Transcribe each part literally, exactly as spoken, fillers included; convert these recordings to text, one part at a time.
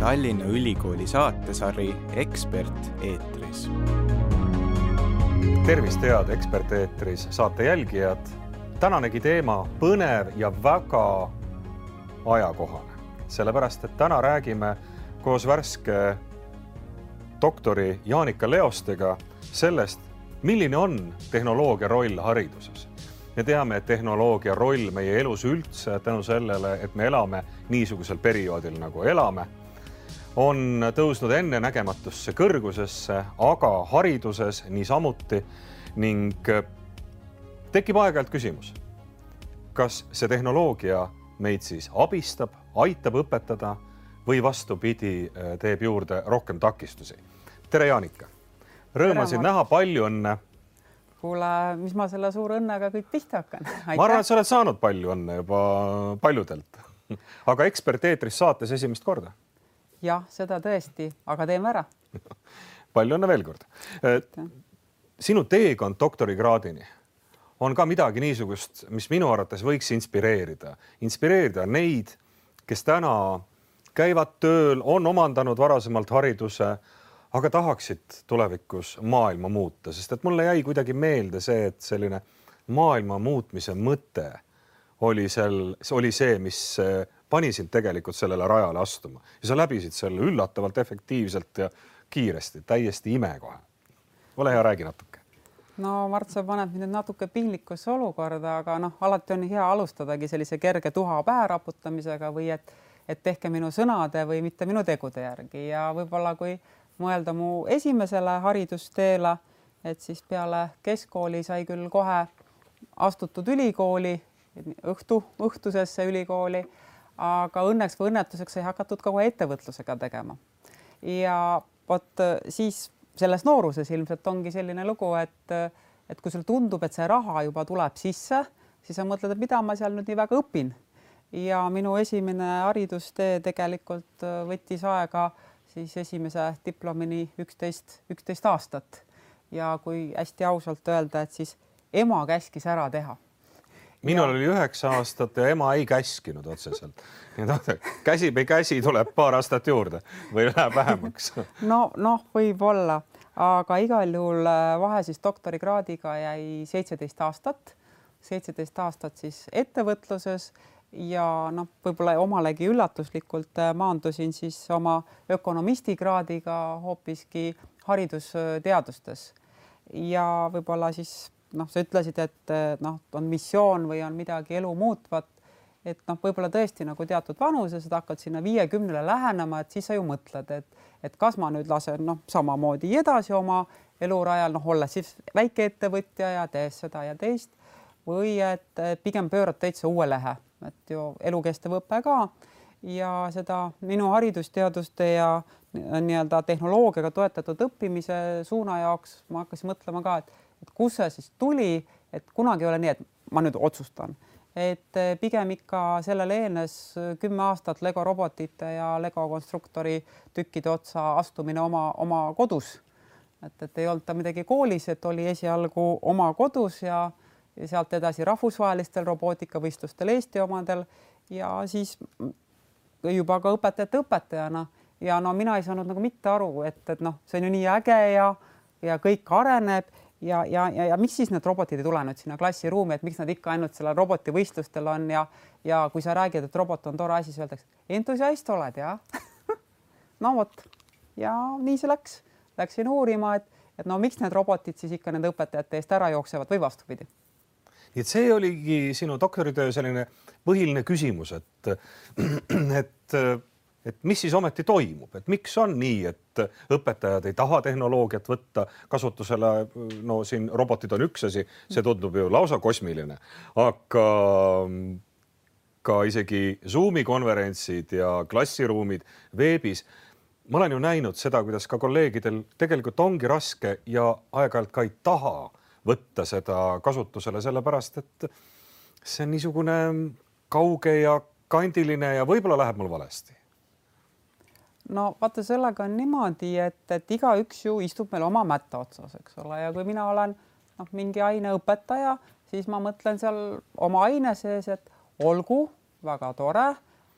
Tallinna Ülikooli saatesari Ekspert eetris. Tervist, head Ekspert eetris saate jälgijad. Tänanegi teema põnev ja väga ajakohane. Sellepärast, et täna räägime koos värske doktori Jaanika Leostega sellest, milline on tehnoloogia roll hariduses. Me teame, et tehnoloogia roll meie elus üldse tänu sellele, et me elame niisugusel perioodil nagu elame, on tõusnud enne nägematusse kõrgusesse, aga hariduses niisamuti ning tekib aeg-ajalt küsimus, kas see tehnoloogia meid siis abistab, aitab õpetada või vastupidi teeb juurde rohkem takistusi. Tere, Jaanika! Rõõmasin näha, palju õnne! Kuule, mis ma selle suure õnnega kõik pihta hakkan? Aitäh. Ma arvan, et sa oled saanud palju õnne juba paljudelt, aga Ekspert eetris saates esimest korda. Jah, seda tõesti, aga teeme ära. Palju õnne veel kord. Sinu teekond doktorikraadini on ka midagi niisugust, mis minu arvates võiks inspireerida. Inspireerida neid, kes täna käivad tööl, on omandanud varasemalt hariduse, aga tahaksid tulevikus maailma muuta, sest et mulle jäi kuidagi meelde see, et selline maailma muutmise mõte oli, sel, oli see, mis pani sind tegelikult sellele rajale astuma. Ja sa läbisid selle üllatavalt efektiivselt ja kiiresti, täiesti imekohe. Ole hea, räägi natuke. No Mart, sa paned mind natuke piinlikusse olukorda, aga noh, alati on hea alustadagi sellise kerge tuha pähe raputamisega või et, et tehke minu sõnade või mitte minu tegude järgi. Ja võib-olla kui mõelda mu esimesele haridusteele, et siis peale keskkooli sai küll kohe astutud ülikooli, õhtu, õhtusesse ülikooli, aga õnneks või õnnetuseks sai hakatud kohe ettevõtlusega tegema. Ja võt, siis selles nooruses ilmselt ongi selline lugu, et, et kui sul tundub, et see raha juba tuleb sisse, siis sa mõtled, et mida ma seal nüüd nii väga õpin. Ja minu esimene haridustee tegelikult võttis aega siis esimese diplomini üksteist, üksteist aastat. Ja kui hästi ausalt öelda, et siis ema käskis ära teha. Minul ja... oli üheksa aastat ja ema ei käskinud otseselt. Käsi või käsi tuleb paar aastat juurde või läheb vähemaks. No, noh, võib olla, aga igal juhul vahe siis doktorikraadiga jäi seitseteist aastat. seitseteist aastat siis ettevõtluses. Ja noh, võib-olla omalegi üllatuslikult maandusin siis oma ökonomistikraadiga hoopiski haridusteadustes. Ja võib-olla siis, noh, sa ütlesid, et noh, on missioon või on midagi elu muutvat, et noh, võib-olla tõesti nagu teatud vanuses, et hakkad sinna viiekümnele lähenema, et siis sa ju mõtled, et, et kas ma nüüd lasen noh, samamoodi edasi oma elurajal, noh, olles siis väike ettevõtja ja tees seda ja teist, või et pigem pöörad täitsa uue lehe. Et ju elukestev õpe ka ja seda minu haridusteaduste ja nii-öelda tehnoloogiaga toetatud õppimise suuna jaoks ma hakkasin mõtlema ka, et, et kus see siis tuli, et kunagi ei ole nii, et ma nüüd otsustan. Et pigem ikka sellele eelnes kümme aastat Lego robotite ja Lego konstruktori tükkide otsa astumine oma, oma kodus. Et, et ei olnud ta midagi koolis, et oli esialgu oma kodus ja ja sealt edasi rahvusvahelistel robootikavõistlustel Eesti omadel ja siis juba ka õpetajate õpetajana. Ja no mina ei saanud nagu mitte aru, et, et noh, see on ju nii äge ja, ja kõik areneb ja, ja, ja, ja miks siis need robotid ei tule nüüd sinna klassiruumi, et miks nad ikka ainult selle robotivõistlustel on ja, ja kui sa räägid, et robot on tore asi, siis öeldakse, entusiast oled, jah? No vot, ja nii see läks. Läksin uurima, et, et no miks need robotid siis ikka nende õpetajate eest ära jooksevad või vastupidi. Nii et see oligi sinu doktoritöö selline põhiline küsimus, et, et, et mis siis ometi toimub, et miks on nii, et õpetajad ei taha tehnoloogiat võtta kasutusele, no siin robotid on üks asi, see tundub ju lausa kosmiline, aga ka isegi Zoomi konverentsid ja klassiruumid veebis, ma olen ju näinud seda, kuidas ka kolleegidel tegelikult ongi raske ja aeg-ajalt ka ei taha võtta seda kasutusele, sellepärast, et see on niisugune kauge ja kandiline ja võib-olla läheb mul valesti. No vaata, sellega on niimoodi, et, et iga üks ju istub meil oma mätta otsas, eks ole, ja kui mina olen noh, mingi aine õpetaja, siis ma mõtlen seal oma aine sees, et olgu väga tore,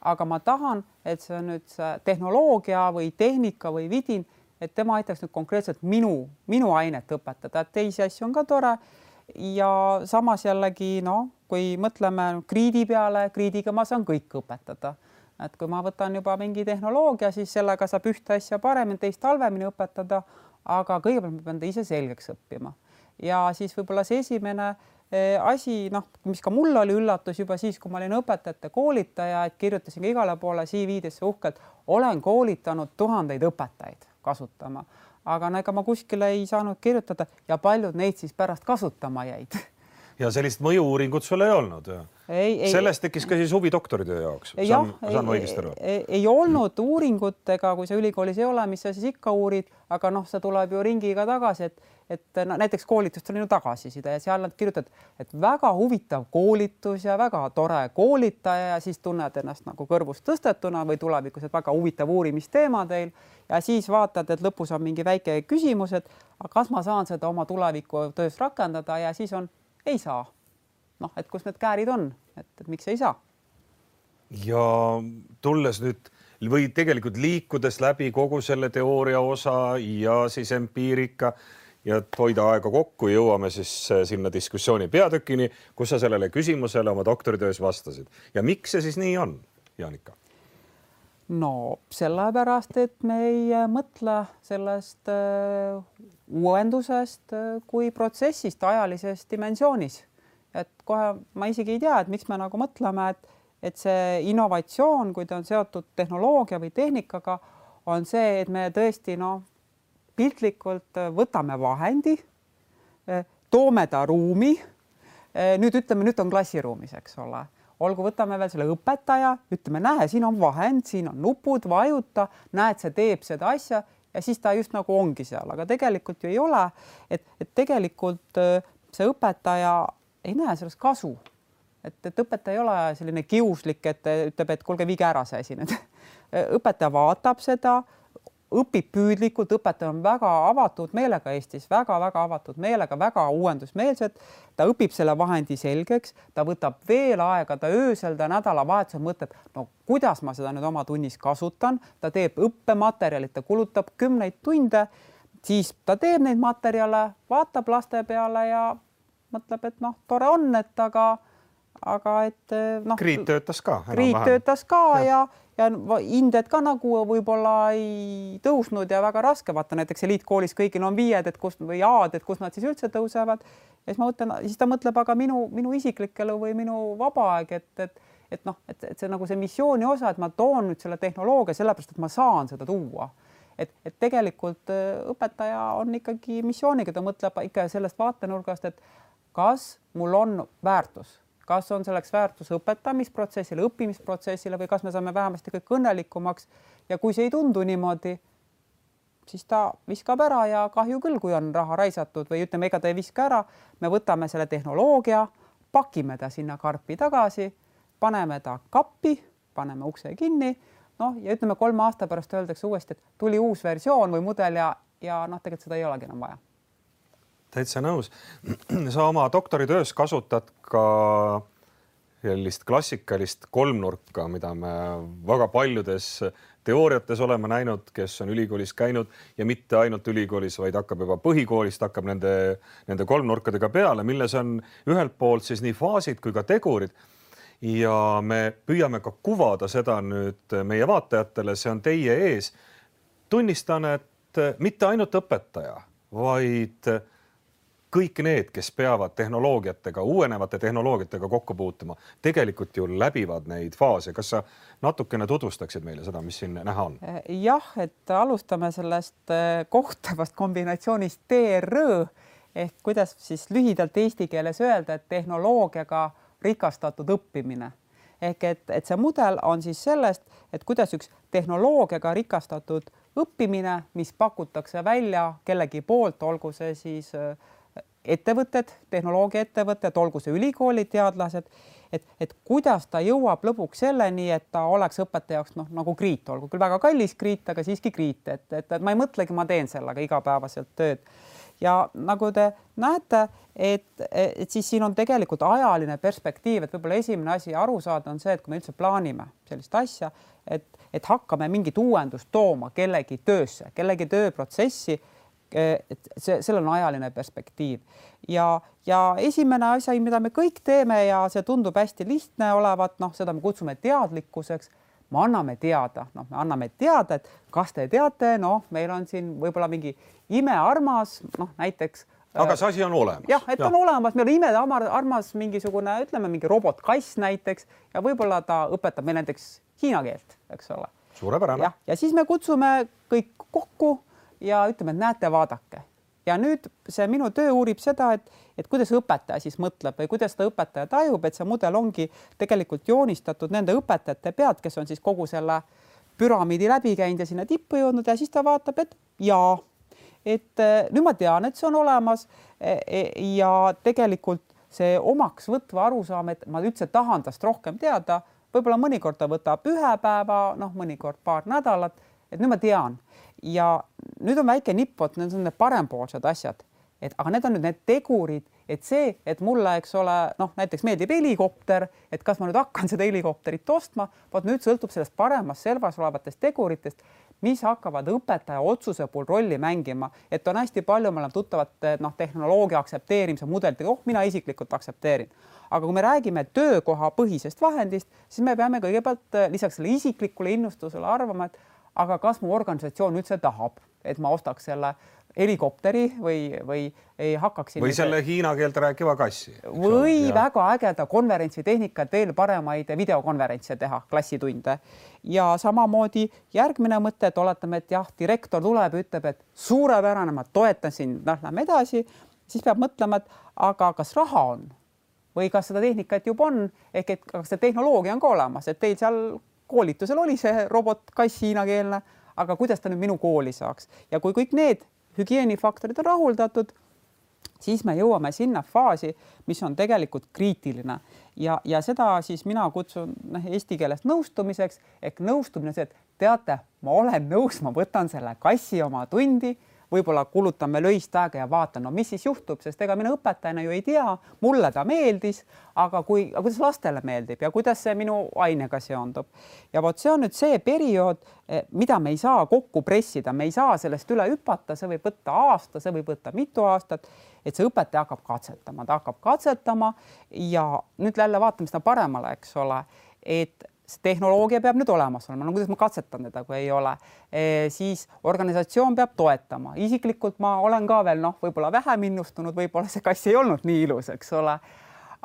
aga ma tahan, et see on nüüd see tehnoloogia või tehnika või vidin, et tema aitaks nüüd konkreetselt minu, minu ainet õpetada, et teisi asju on ka tore. Ja samas jällegi, no, kui mõtleme kriidi peale, kriidiga ma saan kõik õpetada. Et kui ma võtan juba mingi tehnoloogia, siis sellega saab ühte asja paremini, teist halvemini õpetada, aga kõigepealt ma pean ta ise selgeks õppima. Ja siis võib-olla see esimene asi, noh, mis ka mul oli üllatus juba siis, kui ma olin õpetajate koolitaja, et kirjutasin ka igale poole C V-desse uhkelt, olen koolitanud tuhandeid õpetajaid kasutama, aga ega ma kuskile ei saanud kirjutada ja paljud neid siis pärast kasutama jäid. Ja sellist mõju-uuringut sul ei olnud? Ei, ei, Sellest tekkis ka siis huvi doktoritöö jaoks. Saan, jah, saan ei, ei, ei olnud uuringutega, kui sa ülikoolis ei ole, mis sa siis ikka uurid, aga noh, see tuleb ju ringiga tagasi, et, et no, näiteks koolitust on ju tagasiside ja seal nad kirjutavad, et väga huvitav koolitus ja väga tore koolitaja ja siis tunned ennast nagu kõrvust tõstetuna või tulevikus, et väga huvitav uurimisteema teil ja siis vaatad, et lõpus on mingi väike küsimus, et kas ma saan seda oma tuleviku töös rakendada ja siis on ei saa. Noh, et kus need käärid on, et, et miks ei saa? Ja tulles nüüd või tegelikult liikudes läbi kogu selle teooria osa ja siis empiirika ja hoida aega kokku, jõuame siis sinna diskussiooni peatükini, kus sa sellele küsimusele oma doktoritöös vastasid. Ja miks see siis nii on, Jaanika? No sellepärast, et me ei mõtle sellest äh, uuendusest äh, kui protsessist ajalises dimensioonis. Et kohe ma isegi ei tea, et miks me nagu mõtleme, et, et see innovatsioon, kui ta on seotud tehnoloogia või tehnikaga, on see, et me tõesti no, piltlikult võtame vahendi, toome ta ruumi, nüüd ütleme, nüüd on klassiruumis, eks ole. Olgu, võtame veel selle õpetaja, ütleme, näe, siin on vahend, siin on nupud, vajuta, näed, see teeb seda asja ja siis ta just nagu ongi seal, aga tegelikult ju ei ole, et, et tegelikult see õpetaja ei näe sellest kasu, et, et õpetaja ei ole selline kiuslik, et ütleb, et kuulge, viige ära see asi nüüd. Õpetaja vaatab seda, õpib püüdlikult, õpetaja on väga avatud meelega Eestis, väga-väga avatud meelega, väga uuendusmeelsed. Ta õpib selle vahendi selgeks, ta võtab veel aega, ta öösel, ta nädalavahetusel mõtleb, no kuidas ma seda nüüd oma tunnis kasutan, ta teeb õppematerjalid, ta kulutab kümneid tunde, siis ta teeb neid materjale, vaatab laste peale ja mõtleb, et noh, tore on, et aga, aga et noh. Kriit töötas ka. Kriit töötas ka ja, ja inded ka nagu võib-olla ei tõusnud ja väga raske. Vaata näiteks eliitkoolis kõigil on viied, et kus, või aad, et kus nad siis üldse tõusevad. Ja siis, ma mõtlen, siis ta mõtleb aga minu, minu isiklik elu või minu vaba aeg, et, et, et, noh, et, et see nagu see missiooni osa, et ma toon nüüd selle tehnoloogia sellepärast, et ma saan seda tuua. Et, et tegelikult õpetaja on ikkagi missiooniga, ta mõtleb ikka sellest vaatenurgast, et kas mul on väärtus, kas on selleks väärtus õpetamisprotsessile, õppimisprotsessile või kas me saame vähemasti kõik õnnelikumaks ja kui see ei tundu niimoodi, siis ta viskab ära ja kahju küll, kui on raha raisatud või ütleme, ega ta ei viska ära, me võtame selle tehnoloogia, pakime ta sinna karpi tagasi, paneme ta kappi, paneme ukse kinni, noh ja ütleme kolme aasta pärast öeldakse uuesti, et tuli uus versioon või mudel ja, ja noh, tegelikult seda ei olegi enam vaja. Täitsa nõus. Sa oma doktoritöös kasutad ka sellist klassikalist kolmnurka, mida me väga paljudes teooriates oleme näinud, kes on ülikoolis käinud ja mitte ainult ülikoolis, vaid hakkab juba põhikoolist, hakkab nende, nende kolmnurkadega peale, milles on ühelt poolt siis nii faasid kui ka tegurid. Ja me püüame ka kuvada seda nüüd meie vaatajatele, see on teie ees. Tunnistan, et mitte ainult õpetaja, vaid kõik need, kes peavad tehnoloogiatega, uuenevate tehnoloogiatega kokku puutuma, tegelikult ju läbivad neid faase. Kas sa natukene tutvustaksid meile seda, mis siin näha on? Jah, et alustame sellest kohtavast kombinatsioonist T R Ö ehk kuidas siis lühidalt eesti keeles öelda, et tehnoloogiaga rikastatud õppimine. Ehk et, et see mudel on siis sellest, et kuidas üks tehnoloogiaga rikastatud õppimine, mis pakutakse välja kellegi poolt, olgu see siis ettevõtted, tehnoloogia ettevõtted, olgu see ülikoolid, teadlased, et, et kuidas ta jõuab lõpuks selleni, et ta oleks õpetaja jaoks noh, nagu kriit, olgu küll väga kallis kriit, aga siiski kriit, et, et, et ma ei mõtlegi, ma teen sellega igapäevaselt tööd. ja nagu te näete, et, et siis siin on tegelikult ajaline perspektiiv, et võib-olla esimene asi aru saada on see, et kui me üldse plaanime sellist asja, et, et hakkame mingit uuendust tooma kellegi töösse, kellegi tööprotsessi, et see, sellel on ajaline perspektiiv ja, ja esimene asi, mida me kõik teeme ja see tundub hästi lihtne olevat, noh, seda me kutsume teadlikkuseks, me anname teada, noh, me anname teada, et kas te teate, noh, meil on siin võib-olla mingi imearmas, noh, näiteks. Aga see asi on olemas. Jah, et ja. on olemas, meil on imearmas mingisugune, ütleme, mingi robotkass näiteks ja võib-olla ta õpetab meil näiteks hiina keelt, eks ole. Suurepärane. Ja, ja siis me kutsume kõik kokku ja ütleme, et näete, vaadake. Ja nüüd see minu töö uurib seda, et, et kuidas õpetaja siis mõtleb või kuidas ta õpetaja tajub, et see mudel ongi tegelikult joonistatud nende õpetajate pead, kes on siis kogu selle püramiidi läbi käinud ja sinna tippu jõudnud ja siis ta vaatab, et jaa, et nüüd ma tean, et see on olemas ja tegelikult see omaks võtva arusaam, et ma üldse tahan tast rohkem teada, võib-olla mõnikord ta võtab ühe päeva, noh, mõnikord paar nädalat, et nüüd ma tean. Ja nüüd on väike nippot, need on need parempoolsed asjad, et aga need on nüüd need tegurid, et see, et mulle, eks ole, noh, näiteks meeldib helikopter, et kas ma nüüd hakkan seda helikopterit ostma, vaat nüüd sõltub sellest paremas servas olevatest teguritest, mis hakkavad õpetaja otsuse puhul rolli mängima, et on hästi palju, me oleme tuttavad, noh, tehnoloogia aktsepteerimise mudelitega, oh, mina isiklikult aktsepteerin. Aga kui me räägime töökoha põhisest vahendist, siis me peame kõigepealt lisaks selle isiklikule innustusele arvama, et aga kas mu organisatsioon üldse tahab, et ma ostaks selle helikopteri või, või ei hakkaksin... Või selle hiina keelt rääkiva kassi. Või ja. väga ägeda konverentsitehnika, et veel paremaid videokonverentse teha, klassitunde. Ja samamoodi järgmine mõte, et oletame, et jah, direktor tuleb ja ütleb, et suurepärane, ma toetan siin, noh, lähme edasi, siis peab mõtlema, et aga kas raha on või kas seda tehnikat juba on, ehk et kas see tehnoloogia on ka olemas, et teil seal koolitusel oli see robotkass hiinakeelne, aga kuidas ta nüüd minu kooli saaks? Ja kui kõik need hügieenifaktorid on rahuldatud, siis me jõuame sinna faasi, mis on tegelikult kriitiline. Ja, ja seda siis mina kutsun eesti keeles nõustumiseks, ehk nõustumine see, et teate, ma olen nõus, ma võtan selle kassi oma tundi, võib-olla kulutame löist aega ja vaatan, no mis siis juhtub, sest ega mina õpetajana ju ei tea, mulle ta meeldis, aga kui, aga kuidas lastele meeldib ja kuidas see minu ainega seondub. Ja vot see on nüüd see periood, mida me ei saa kokku pressida, me ei saa sellest üle hüpata, see võib võtta aasta, see võib võtta mitu aastat, et see õpetaja hakkab katsetama, ta hakkab katsetama ja nüüd jälle vaatame seda paremale, eks ole, et tehnoloogia peab nüüd olemas olema, no kuidas ma katsetan teda, kui ei ole, e, siis organisatsioon peab toetama. Isiklikult ma olen ka veel, noh, võib-olla vähem innustunud, võib-olla see kass ei olnud nii ilus, eks ole.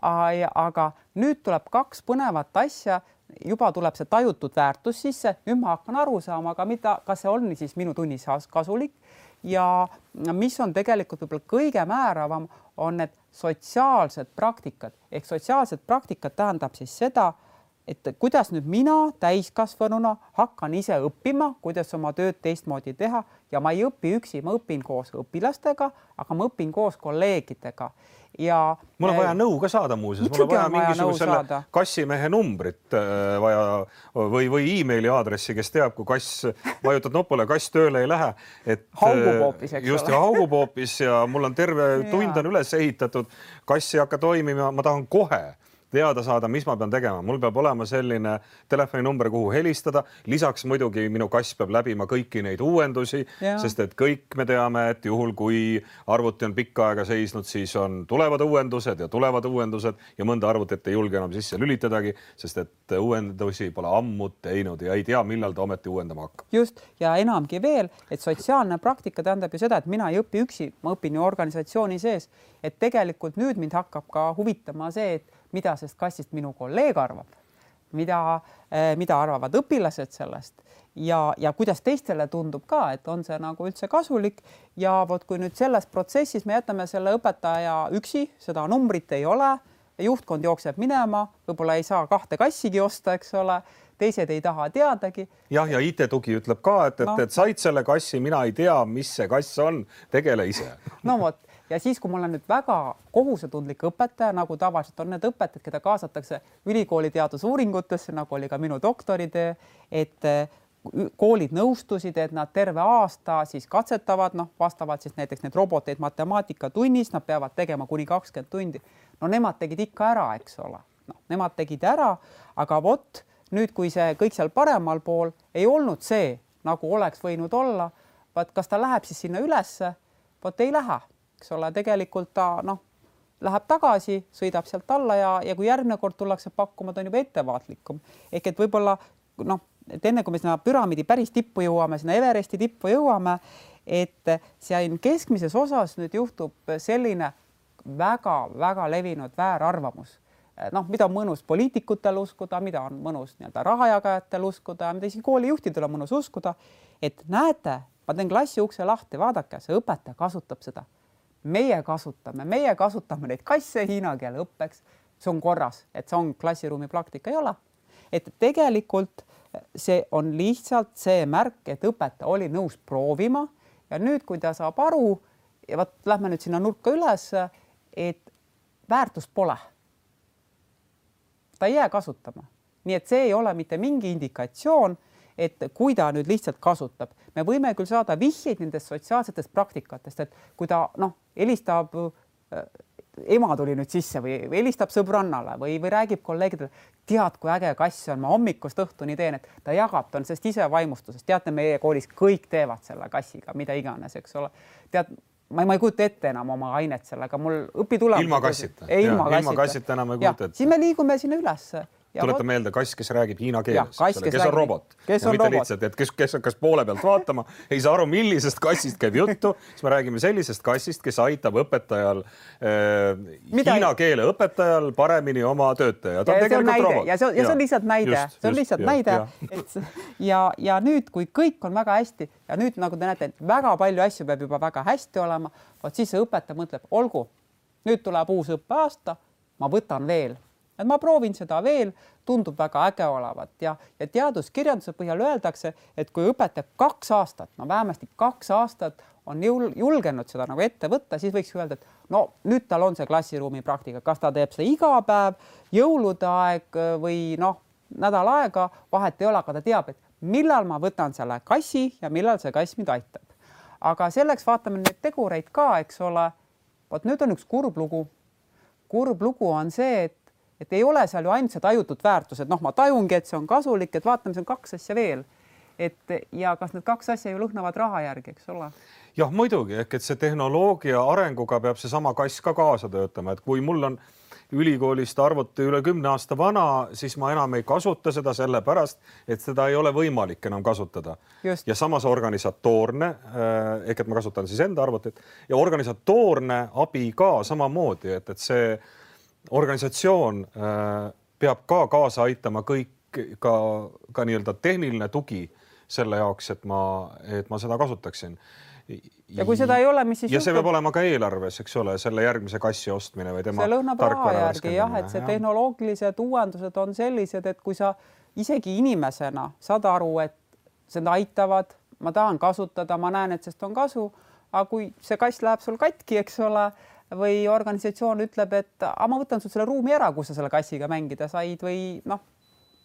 Aga nüüd tuleb kaks põnevat asja, juba tuleb see tajutud väärtus sisse, nüüd ma hakkan aru saama, aga mida, kas see on siis minu tunnis kasulik ja mis on tegelikult võib-olla kõige määravam, on need sotsiaalsed praktikad, ehk sotsiaalsed praktikad tähendab siis seda, et kuidas nüüd mina täiskasvanuna hakkan ise õppima, kuidas oma tööd teistmoodi teha ja ma ei õpi üksi, ma õpin koos õpilastega, aga ma õpin koos kolleegidega. Ja mul on vaja nõu ka saada muuseas, mul on vaja mingisugusele kassimehe numbrit vaja või, või e-maili aadressi, kes teab, kui kass vajutad nopule, kass tööle ei lähe. Et, haugupoopis, eks just, ole. Ja haugupoopis ja mul on terve tund on üles ehitatud, kass ei hakka toimima, ma tahan kohe teada saada, mis ma pean tegema. Mul peab olema selline telefoninumber, kuhu helistada. Lisaks muidugi minu kass peab läbima kõiki neid uuendusi, ja. Sest et kõik me teame, et juhul kui arvuti on pikka aega seisnud, siis on tulevad uuendused ja tulevad uuendused ja mõnda arvutit ei julge enam sisse lülitadagi, sest et uuendusi pole ammu teinud ja ei tea, millal ta ometi uuendama hakkab. Just, ja enamgi veel, et sotsiaalne praktika tähendab ju seda, et mina ei õpi üksi, ma õpin ju organisatsiooni sees, et tegelikult nüüd mind hakkab ka huvitama see, et mida sest kassist minu kolleeg arvab, mida, mida arvavad õpilased sellest ja, ja kuidas teistele tundub ka, et on see nagu üldse kasulik ja vot kui nüüd selles protsessis me jätame selle õpetaja üksi, seda numbrit ei ole, juhtkond jookseb minema, võib-olla ei saa kahte kassigi osta, eks ole, teised ei taha teadagi. Jah, ja I T-tugi ütleb ka, et, et, no. et said selle kassi, mina ei tea, mis see kass on, tegele ise. No vot. Ja siis, kui mul on nüüd väga kohusetundlik õpetaja, nagu tavaliselt on need õpetajad, keda kaasatakse ülikooli teadusuuringutesse, nagu oli ka minu doktoritöö, et koolid nõustusid, et nad terve aasta siis katsetavad, noh, vastavad siis näiteks need roboteid matemaatikatunnis, nad peavad tegema kuni kakskümmend tundi. No nemad tegid ikka ära, eks ole. No, nemad tegid ära, aga vot nüüd, kui see kõik seal paremal pool ei olnud see, nagu oleks võinud olla, vaat kas ta läheb siis sinna ülesse, vot ei lähe, eks ole, tegelikult ta noh, läheb tagasi, sõidab sealt alla ja, ja kui järgmine kord tullakse pakkuma, ta on juba ettevaatlikum. Ehk et võib-olla noh, et enne kui me sinna püramiidi päris tippu jõuame, sinna Everesti tippu jõuame, et siin keskmises osas nüüd juhtub selline väga-väga levinud väärarvamus. Noh, mida on mõnus poliitikutel uskuda, mida on mõnus nii-öelda rahajagajatel uskuda, mida isegi koolijuhtidel on mõnus uskuda, et näete, ma teen klassi ukse lahti, vaadake, see õpetaja kasutab seda. Meie kasutame, meie kasutame neid kasse hiina keele õppeks, see on korras, et see on klassiruumi praktika, ei ole. Et tegelikult see on lihtsalt see märk, et õpetaja oli nõus proovima ja nüüd, kui ta saab aru ja võt, lähme nüüd sinna nurka üles, et väärtust pole. Ta ei jää kasutama. Nii et see ei ole mitte mingi indikatsioon, et kui ta nüüd lihtsalt kasutab. Me võime küll saada vihjeid nendest sotsiaalsetest praktikatest, et kui ta noh, helistab, ema tuli nüüd sisse või helistab sõbrannale või, või räägib kolleegidele, tead, kui äge kass on, ma hommikust õhtuni teen, et ta jagab, ta on sest ise vaimustusest. Teate, meie koolis kõik teevad selle kassiga, mida iganes, eks ole. Tead, ma ei, ma ei kujuta ette enam oma ainet sellega, mul õpitulemus. Ilma kassita. Ilma kassita. Ilma kassita enam ei kujuta ette. Siis me liigume sinna üles. Tuleta meelde kass, kes räägib hiina keeles, kass, kes, kes on robot. Kes ja on mitte robot. lihtsalt, et kes, kes hakkas poole pealt vaatama, ei saa aru, millisest kassist käib juttu, siis me räägime sellisest kassist, kes aitab õpetajal, äh, hiina keele õpetajal paremini oma töötaja. Ta ja, on tegelikult näide. robot. Ja see, on, ja see on lihtsalt näide. Just, see on lihtsalt just, näide. Ja. Et, ja, ja nüüd, kui kõik on väga hästi ja nüüd, nagu te näete, väga palju asju peab juba väga hästi olema, vaat siis see õpetaja mõtleb, olgu, nüüd tuleb uus õppeaasta, ma võtan veel. Et ma proovin seda veel, tundub väga äge olevat ja, ja teaduskirjanduse põhjal öeldakse, et kui õpetab kaks aastat, no vähemasti kaks aastat on jul, julgenud seda nagu ette võtta, siis võiks öelda, et no nüüd tal on see klassiruumi praktika, kas ta teeb seda iga päev, jõulude aeg või noh, nädal aega, vahet ei ole, aga ta teab, et millal ma võtan selle kassi ja millal see kass mind aitab. Aga selleks vaatame neid tegureid ka, eks ole, vaat nüüd on üks kurb lugu. Kurb lugu on see, et et ei ole seal ju ainult see tajutud väärtus, et noh, ma tajungi, et see on kasulik, et vaatame, see on kaks asja veel. Et ja kas need kaks asja ju lõhnavad raha järgi, eks ole? Jah, muidugi, ehk et see tehnoloogia arenguga peab see sama kass ka kaasa töötama, et kui mul on ülikoolist arvuti üle kümne aasta vana, siis ma enam ei kasuta seda sellepärast, et seda ei ole võimalik enam kasutada. Just. Ja samas organisatoorne, ehk et ma kasutan siis enda arvutit, ja organisatoorne abi ka samamoodi, et, et see organisatsioon äh, peab ka kaasa aitama kõik ka, ka nii-öelda tehniline tugi selle jaoks, et ma, et ma seda kasutaksin. Ja kui seda ei ole, mis siis ja juhtub? See peab olema ka eelarves, eks ole, selle järgmise kassi ostmine või tema see lõhnab raha järgi, jah, et see jah. Tehnoloogilised uuendused on sellised, et kui sa isegi inimesena saad aru, et seda aitavad, ma tahan kasutada, ma näen, et sest on kasu, aga kui see kass läheb sul katki, eks ole, või organisatsioon ütleb, et a, ma võtan sul selle ruumi ära, kus sa selle kassiga mängida said või noh,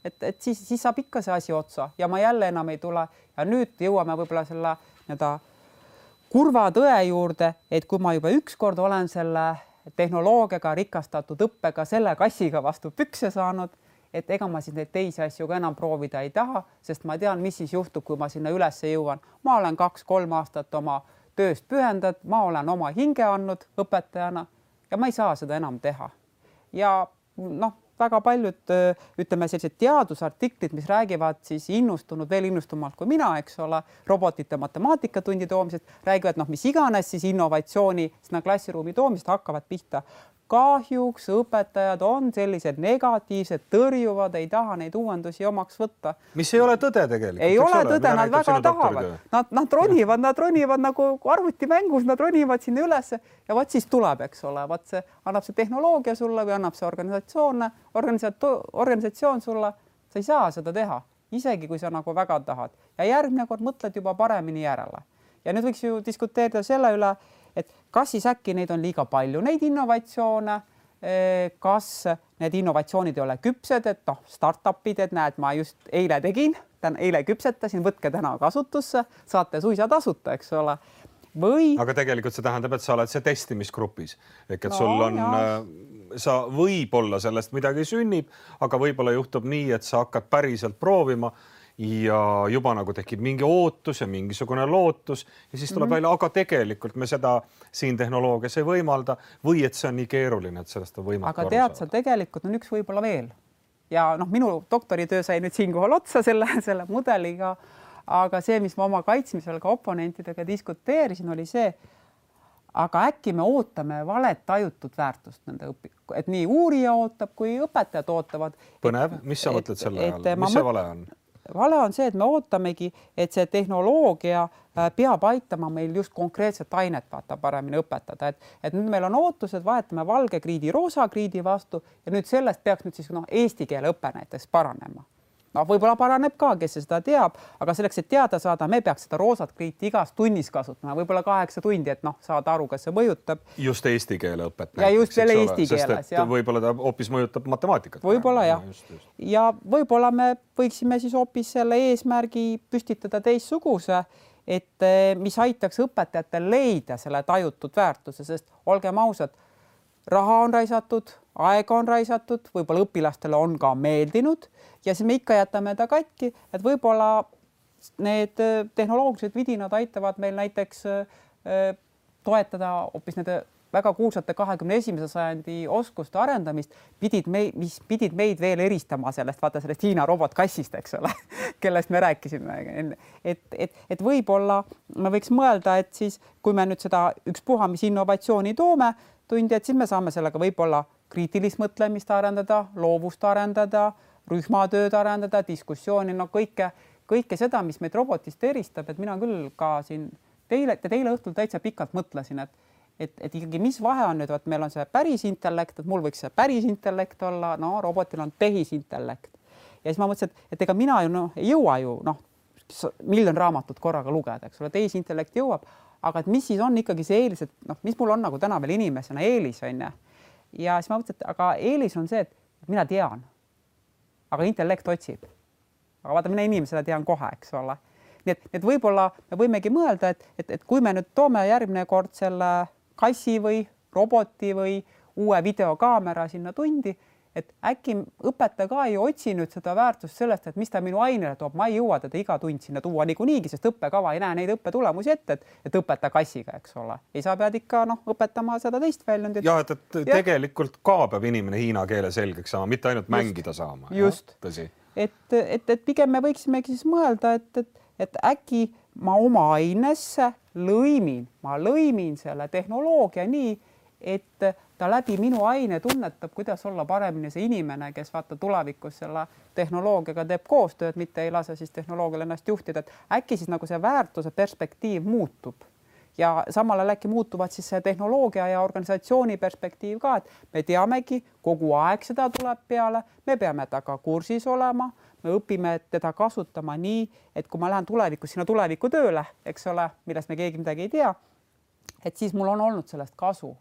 et, et siis, siis saab ikka see asi otsa ja ma jälle enam ei tule. Ja nüüd jõuame võib-olla selle nii-öelda kurva tõe juurde, et kui ma juba ükskord olen selle tehnoloogiaga rikastatud õppega selle kassiga vastu pükse saanud, et ega ma siis neid teisi asju ka enam proovida ei taha, sest ma tean, mis siis juhtub, kui ma sinna ülesse jõuan. Ma olen kaks-kolm aastat oma tööst pühendad, ma olen oma hinge andnud õpetajana ja ma ei saa seda enam teha. Ja noh, väga paljud, ütleme sellised teadusartiklid, mis räägivad siis innustunud, veel innustumalt kui mina, eks ole, robotite matemaatikatundi toomisest, räägivad noh, mis iganes siis innovatsiooni sinna klassiruumi toomist hakkavad pihta. Kahjuks õpetajad on sellised negatiivsed, tõrjuvad, ei taha neid uuendusi omaks võtta. Mis ei ole tõde tegelikult. Ei ole tõde, nad väga tahavad. Nad, nad ronivad, nad ronivad nagu arvutimängus, nad ronivad sinna üles ja vaat siis tuleb, eks ole, vaat see annab see tehnoloogia sulle või annab see organisatsioon, organisatsioon sulle, sa ei saa seda teha, isegi kui sa nagu väga tahad. Ja järgmine kord mõtled juba paremini järele. Ja nüüd võiks ju diskuteerida selle üle, et kas siis äkki neid on liiga palju, neid innovatsioone, kas need innovatsioonid ei ole küpsed, et noh, startupid, et näed, ma just eile tegin, eile küpsetasin, võtke täna kasutusse, saate suisa tasuta, eks ole. Või... Aga tegelikult see tähendab, et sa oled see testimisgrupis. Ehk et no, sul on, jah. sa võib-olla sellest midagi sünnib, aga võib-olla juhtub nii, et sa hakkad päriselt proovima ja juba nagu tekib mingi ootus ja mingisugune lootus ja siis tuleb mm-hmm. välja, aga tegelikult me seda siin tehnoloogias ei võimalda või et see on nii keeruline, et sellest on võimatu aga tead sa, tegelikult on üks võib-olla veel. Ja noh, minu doktoritöö sai nüüd siinkohal otsa selle, selle mudeliga, aga see, mis ma oma kaitsmisel ka oponentidega diskuteerisin, oli see, aga äkki me ootame valet tajutud väärtust nende õpi-, et nii uurija ootab, kui õpetajad ootavad. Põnev, mis sa mõtled selle ajal? Mis see vale on? Vale on see, et me ootamegi, et see tehnoloogia peab aitama meil just konkreetset ainet vaata paremini õpetada, et, et nüüd meil on ootused, vahetame valge kriidi roosa kriidi vastu ja nüüd sellest peaks nüüd siis no, eesti keele õpe näiteks paranema. No, võib-olla paraneb ka, kes seda teab, aga selleks, et teada saada, me peaks seda roosat kriiti igas tunnis kasutama, võib-olla kaheksa tundi, et noh, saada aru, kas see mõjutab. Just eesti keele õpet. Ja just selle eesti keeles. Sest et võib-olla ta hoopis mõjutab matemaatikat. Võib-olla jah. Just, just. Ja võib-olla me võiksime siis hoopis selle eesmärgi püstitada teissuguse, et mis aitaks õpetajatel leida selle tajutud väärtuse, sest olgem ausad, raha on raisatud, aega on raisatud, võib-olla õpilastele on ka meeldinud ja siis me ikka jätame ta katki, et võib-olla need tehnoloogilised vidinad aitavad meil näiteks toetada hoopis nende väga kuulsate kahekümne esimese sajandi oskuste arendamist, pidid meid, mis pidid meid veel eristama sellest, vaata sellest Hiina robotkassist, eks ole, kellest me rääkisime. Et, et, et võib-olla me võiks mõelda, et siis, kui me nüüd seda ükspuha, mis innovatsiooni toome tundi, et siis me saame sellega võib-olla kriitilist mõtlemist arendada, loovust arendada, rühmatööd arendada, diskussiooni, no kõike, kõike seda, mis meid robotist eristab, et mina küll ka siin teile, teile õhtul täitsa pikalt mõtlesin, et Et, et ikkagi mis vahe on nüüd, et meil on see päris intellekt, et mul võiks see päris intellekt olla, no robotil on tehisintellekt. Ja siis ma mõtlesin, et, et ega mina ju no, ei jõua ju noh, miljon raamatut korraga lugeda, eks ole, tehisintellekt jõuab, aga et mis siis on ikkagi see eelis, et noh, mis mul on nagu täna veel inimesena eelis on ja. Ja siis ma mõtlesin, et aga eelis on see, et mina tean, aga intellekt otsib. Aga vaata, mina inimesena tean kohe, eks ole. Nii et, et võib-olla me võimegi mõelda, et, et, et kui me nüüd toome järgmine kord selle kassi või roboti või uue videokaamera sinna tundi, et äkki õpetaja ka ei otsi nüüd seda väärtust sellest, et mis ta minu ainele toob. Ma ei jõua teda iga tund sinna tuua niiku niigi, sest õppekava ei näe neid õppetulemusi ette, et, et õpeta kassiga, eks ole. Ei saa pead ikka noh, õpetama seda teist väljundit. Ja, et, et ja. Tegelikult ka peab inimene hiina keele selgeks saama, mitte ainult just, mängida saama. Just. Et, et, et pigem me võiksimegi siis mõelda, et, et, et äkki ma oma ainesse lõimin, ma lõimin selle tehnoloogia nii, et ta läbi minu aine tunnetab, kuidas olla paremini see inimene, kes vaata tulevikus selle tehnoloogiaga teeb koostööd, mitte ei lase siis tehnoloogial ennast juhtida, et äkki siis nagu see väärtuse perspektiiv muutub ja samal ajal äkki muutuvad siis see tehnoloogia ja organisatsiooni perspektiiv ka, et me teamegi, kogu aeg seda tuleb peale, me peame taga kursis olema, me õpime teda kasutama nii, et kui ma lähen tulevikus sinna tuleviku tööle, eks ole, millest me keegi midagi ei tea, et siis mul on olnud sellest kasu.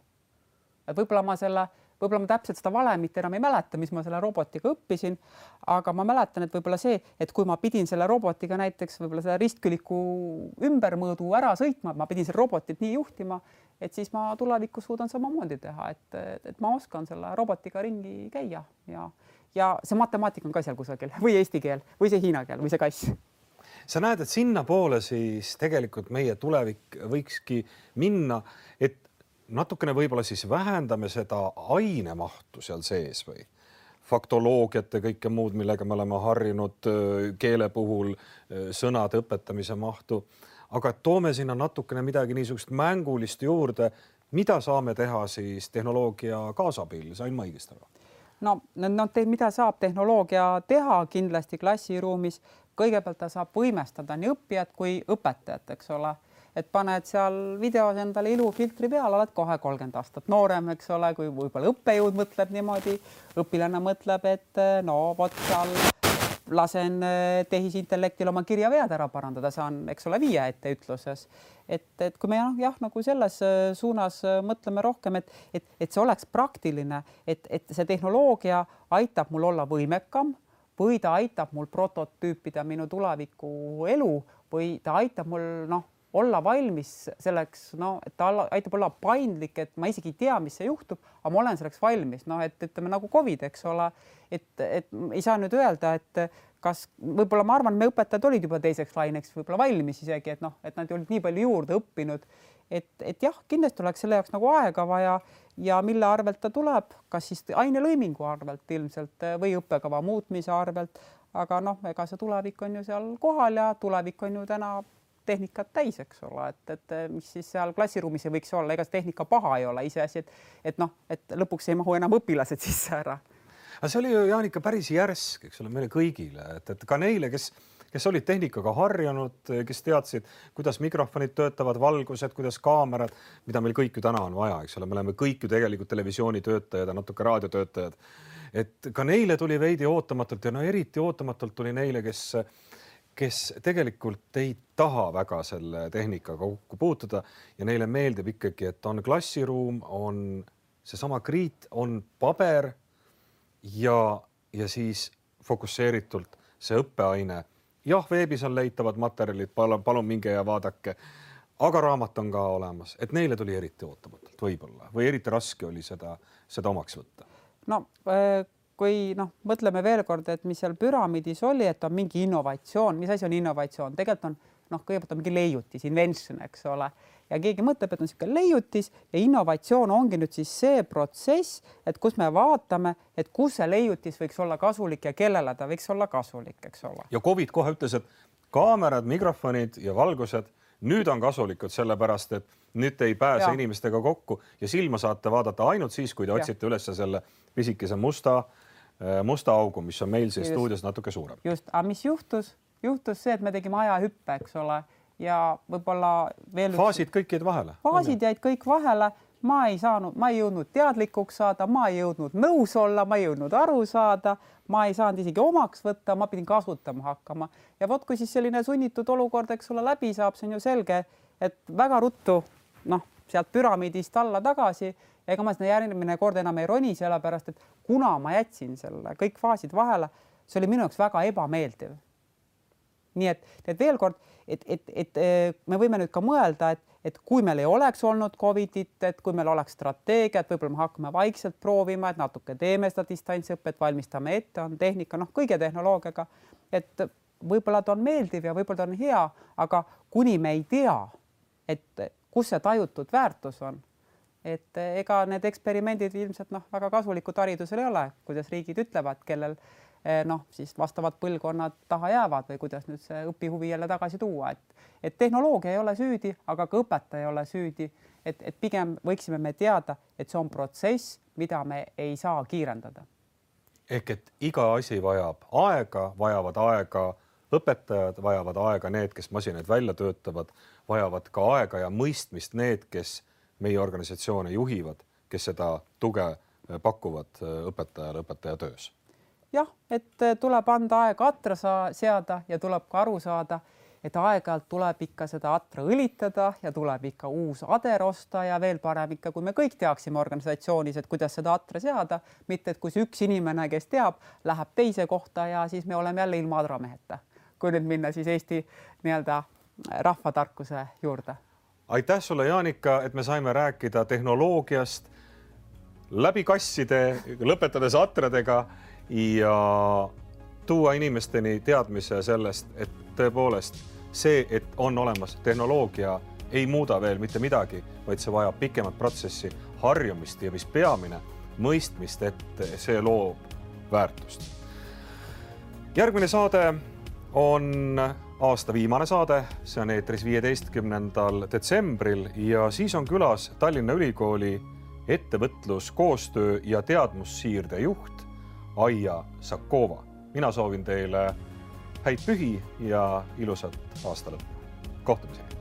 Et võib-olla ma selle, võib-olla ma täpselt seda valemit enam ei mäleta, mis ma selle robotiga õppisin, aga ma mäletan, et võib-olla see, et kui ma pidin selle robotiga näiteks võib-olla selle ristküliku ümbermõõdu ära sõitma, ma pidin selle robotit nii juhtima, et siis ma tulevikus suudan samamoodi teha, et, et ma oskan selle robotiga ringi käia ja ja see matemaatika on ka seal kusagil või eesti keel või see hiina keel või see kass. Sa näed, et sinna poole siis tegelikult meie tulevik võikski minna, et natukene võib-olla siis vähendame seda ainemahtu seal sees või faktoloogiat ja kõike muud, millega me oleme harjunud keele puhul sõnade õpetamise mahtu, aga toome sinna natukene midagi niisugust mängulist juurde, mida saame teha siis tehnoloogia kaasabil, sain ma õigesti aru? No, no te, mida saab tehnoloogia teha kindlasti klassiruumis, kõigepealt ta saab võimestada nii õppijat kui õpetajat, eks ole, et paned seal videos endale ilufiltri peal, oled kohe kolmkümmend aastat noorem, eks ole, kui võib-olla õppejõud mõtleb niimoodi, õpilane mõtleb, et no vot seal lasen tehisintellektil oma kirjavead ära parandada, saan, eks ole, viie ette ütluses. Et, et kui me jah, nagu selles suunas mõtleme rohkem, et, et, et see oleks praktiline, et, et see tehnoloogia aitab mul olla võimekam või ta aitab mul prototüüpida minu tuleviku elu või ta aitab mul noh, olla valmis selleks, no, et ta aitab olla paindlik, et ma isegi ei tea, mis see juhtub, aga ma olen selleks valmis. No, et ütleme nagu COVID, eks ole, et, et ei saa nüüd öelda, et kas võib-olla ma arvan, me õpetajad olid juba teiseks laineks võib-olla valmis isegi, et noh, et nad olid nii palju juurde õppinud, et, et jah, kindlasti oleks selle jaoks nagu aega vaja ja mille arvelt ta tuleb, kas siis ainelõimingu arvelt ilmselt või õppekava muutmise arvelt, aga noh, ega see tulevik on ju seal kohal ja tulevik on ju täna tehnikat täis, eks ole, et, et mis siis seal klassiruumis ei võiks olla, ega see tehnika paha ei ole iseasi, et, et noh, et lõpuks ei mahu enam õpilased sisse ära. Aga see oli ju, Jaanika, päris järsk, eks ole, meile kõigile, et, et ka neile, kes, kes olid tehnikaga harjunud, kes teadsid, kuidas mikrofonid töötavad, valgused, kuidas kaamerad, mida meil kõik ju täna on vaja, eks ole, me oleme kõik ju tegelikult televisioonitöötajad ja natuke raadiotöötajad. Et ka neile tuli veidi ootamatult ja no eriti ootamatult tuli neile, kes kes tegelikult ei taha väga selle tehnikaga kokku puutuda ja neile meeldib ikkagi, et on klassiruum, on seesama kriit, on paber ja, ja siis fokusseeritult see õppeaine. Jah, veebis on leitavad materjalid, palun, palun minge ja vaadake, aga raamat on ka olemas, et neile tuli eriti ootamatult võib-olla või eriti raske oli seda, seda omaks võtta. No, äh... kui noh, mõtleme veel kord, et mis seal püramiidis oli, et on mingi innovatsioon, mis asi on innovatsioon, tegelikult on noh, kõigepealt on mingi leiutis, invention, eks ole, ja keegi mõtleb, et on niisugune leiutis ja innovatsioon ongi nüüd siis see protsess, et kus me vaatame, et kus see leiutis võiks olla kasulik ja kellele ta võiks olla kasulik, eks ole. Ja COVID kohe ütles, et kaamerad, mikrofonid ja valgused nüüd on kasulikud sellepärast, et nüüd te ei pääse ja. inimestega kokku ja silma saate vaadata ainult siis, kui te otsite üles selle pisikese musta musta augu, mis on meil siis just, stuudios natuke suurem. Just, aga mis juhtus? Juhtus see, et me tegime ajahüppe, eks ole, ja võib-olla veel faasid üks... kõik jäid vahele. Faasid jäid kõik vahele. Ma ei saanud, ma ei jõudnud teadlikuks saada, ma ei jõudnud nõus olla, ma ei jõudnud aru saada, ma ei saanud isegi omaks võtta, ma pidin kasutama hakkama. Ja vot, kui siis selline sunnitud olukord, eks ole, läbi saab, see on ju selge, et väga ruttu, noh, sealt püramiidist alla tagasi, ega ma seda järgmine kord enam ei roni, sellepärast, et kuna ma jätsin selle kõik faasid vahele, see oli minu jaoks väga ebameeldiv. Nii et, et veel kord, et, et, et me võime nüüd ka mõelda, et, et kui meil ei oleks olnud COVIDit, et kui meil oleks strateegia, et võib-olla me hakkame vaikselt proovima, et natuke teeme seda distantsõpet, valmistame ette, on tehnika, noh, kõige tehnoloogiaga, et võib-olla ta on meeldiv ja võib-olla ta on hea, aga kuni me ei tea, et kus see tajutud väärtus on, et ega need eksperimendid ilmselt noh, väga kasulikud haridusel ei ole, kuidas riigid ütlevad, kellel noh, siis vastavad põlvkonnad taha jäävad või kuidas nüüd see õpihuvi jälle tagasi tuua. Et, et tehnoloogia ei ole süüdi, aga ka õpetaja ei ole süüdi. Et, et pigem võiksime me teada, et see on protsess, mida me ei saa kiirendada. Ehk et iga asi vajab aega, vajavad aega õpetajad, vajavad aega need, kes masinaid välja töötavad, vajavad ka aega ja mõistmist need, kes meie organisatsioone juhivad, kes seda tuge pakuvad õpetajale õpetaja töös. Jah, et tuleb anda aega atra seada ja tuleb ka aru saada, et aeg-ajalt tuleb ikka seda atra õlitada ja tuleb ikka uus ader osta ja veel parem ikka, kui me kõik teaksime organisatsioonis, et kuidas seda atra seada, mitte et kui see üks inimene, kes teab, läheb teise kohta ja siis me oleme jälle ilma adrameheta, kui nüüd minna siis Eesti nii-öelda rahvatarkuse juurde. Aitäh sulle, Jaanika, et me saime rääkida tehnoloogiast läbi kasside, lõpetades atradega ja tuua inimesteni teadmise sellest, et tõepoolest see, et on olemas tehnoloogia, ei muuda veel mitte midagi, vaid see vajab pikemat protsessi, harjumist ja mis peamine, mõistmist, et see loob väärtust. Järgmine saade on aasta viimane saade, see on eetris viieteistkümnendal detsembril ja siis on külas Tallinna Ülikooli ettevõtlus, koostöö ja teadmussiirde juht Aija Sakova. Mina soovin teile häid pühi ja ilusat aasta lõppu. Kohtumiseni!